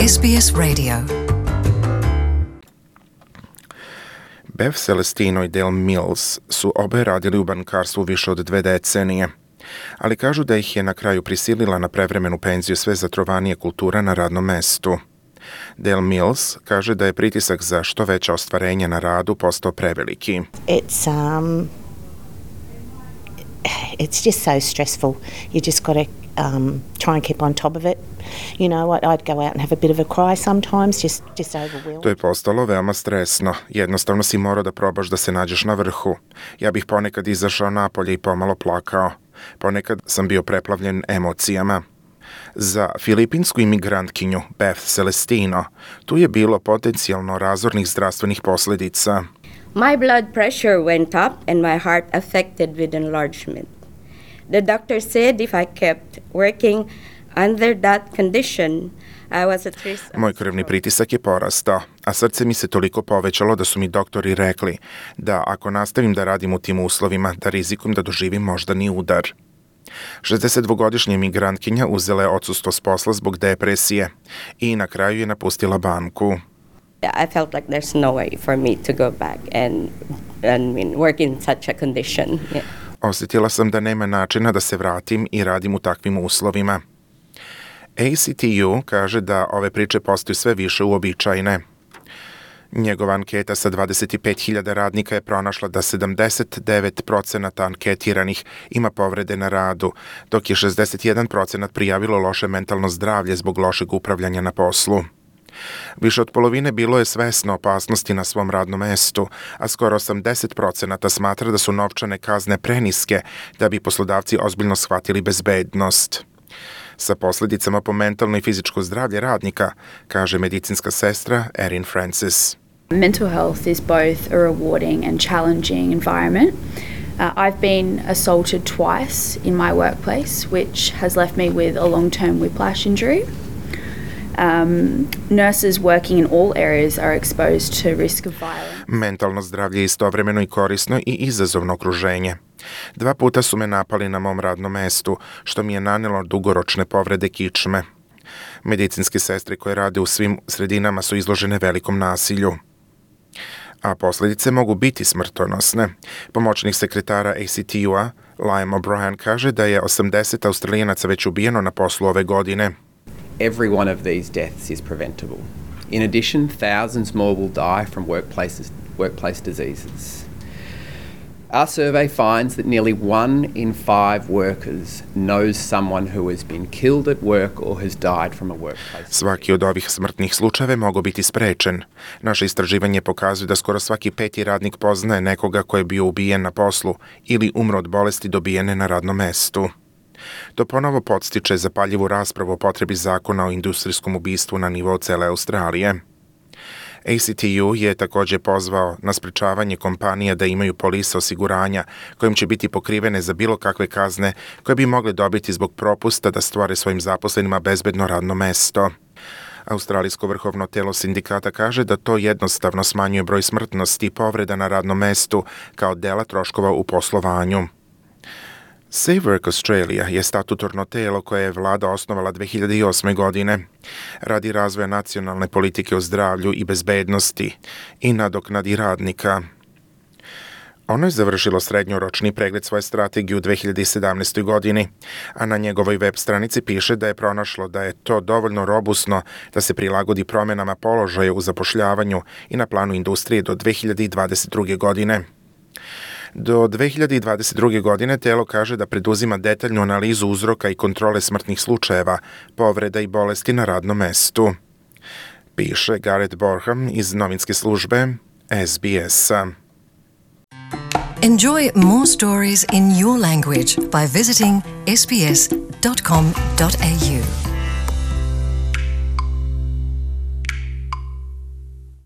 SBS Radio. Beth Celestino i Dale Mills su obe radili u bankarstvu više od 2 decenije, ali kažu da ih je na kraju prisilila na prevremenu penziju sve zatrovanije kultura na radnom mestu. Dale Mills kaže da je pritisak za što veće ostvarenje na radu postao preveliki. It's just so stressful. You just got to try and keep on top of it. You know, I'd go out and have a bit of a cry sometimes, just overwhelmed. To je postalo veoma stresno. Jednostavno si morao da probaš da se nađeš na vrhu. Ja bih ponekad izašao napolje i pomalo plakao. Ponekad sam bio preplavljen emocijama. Za filipinsku imigrantkinju Beth Celestino tu je bilo potencijalno razornih zdravstvenih posljedica. My blood pressure went up and my heart affected with enlargement. The doctor said if I kept working under that condition, I was at risk. Moj krvni pritisak je porastao, a srce mi se toliko povećalo da su mi doktori rekli da ako nastavim da radim u tim uslovima, da rizikujem da doživim moždani udar. 62-godišnja imigrantkinja uzela je odsustvo s posla zbog depresije i na kraju je napustila banku. I felt like there's no way for me to go back and work in such a condition. Yeah. Osjetila sam da nema načina da se vratim i radim u takvim uslovima. ACTU kaže da ove priče postaju sve više uobičajene. Njegova anketa sa 25.000 radnika je pronašla da 79% anketiranih ima povrede na radu, dok je 61% prijavilo loše mentalno zdravlje zbog lošeg upravljanja na poslu. Više od polovine bilo je svesno opasnosti na svom radnom mestu, a skoro 80% smatra da su novčane kazne preniske da bi poslodavci ozbiljno shvatili bezbednost. Sa posljedicama po mentalno i fizičko zdravlje radnika, kaže medicinska sestra Erin Francis. Mental health is both a rewarding and challenging environment. I've been assaulted twice in my workplace, which has left me with a long-term whiplash injury. Nurses working in all areas are exposed to risk of violence. Mentalno zdravlje je istovremeno i korisno i izazovno okruženje. 2 puta su me napali na mom radnom mestu, što mi je nanelo dugoročne povrede kičme. Medicinske sestre koje rade u svim sredinama su izložene velikom nasilju, a posljedice mogu biti smrtonosne. Pomoćnik sekretara ACTU-a, Liam O'Brien, kaže da je 80 Australijanaca već ubijeno na poslu ove godine. Every one of these deaths is preventable. In addition, thousands more will die from workplace diseases. Our survey finds that nearly 1 in 5 workers knows someone who has been killed at work or has died from a workplace. Svaki od ovih smrtnih slučajeva mogu biti sprečen. Naše istraživanje pokazuje da skoro svaki 5. radnik poznaje nekoga ko je bio ubijen na poslu ili umro od bolesti dobijene na radnom mestu. To ponovo podstiče zapaljivu raspravu o potrebi zakona o industrijskom ubistvu na nivou cele Australije. ACTU je također pozvao na sprečavanje kompanija da imaju polise osiguranja kojim će biti pokrivene za bilo kakve kazne koje bi mogle dobiti zbog propusta da stvore svojim zaposlenima bezbedno radno mesto. Australijsko vrhovno telo sindikata kaže da to jednostavno smanjuje broj smrtnosti i povreda na radnom mestu kao dela troškova u poslovanju. Safe Work Australia je statutorno telo koje je vlada osnovala 2008. godine radi razvoja nacionalne politike o zdravlju i bezbednosti i nadoknadi radnika. Ono je završilo srednjoročni pregled svoje strategije u 2017. godini, a na njegovoj web stranici piše da je pronašlo da je to dovoljno robusno da se prilagodi promjenama položaja u zapošljavanju i na planu industrije do 2022. godine. Do 2022. godine telo kaže da preduzima detaljnu analizu uzroka i kontrole smrtnih slučajeva, povreda i bolesti na radnom mestu. Piše Gareth Borham iz novinske službe SBS-a. Enjoy more stories in your language by visiting sbs.com.au.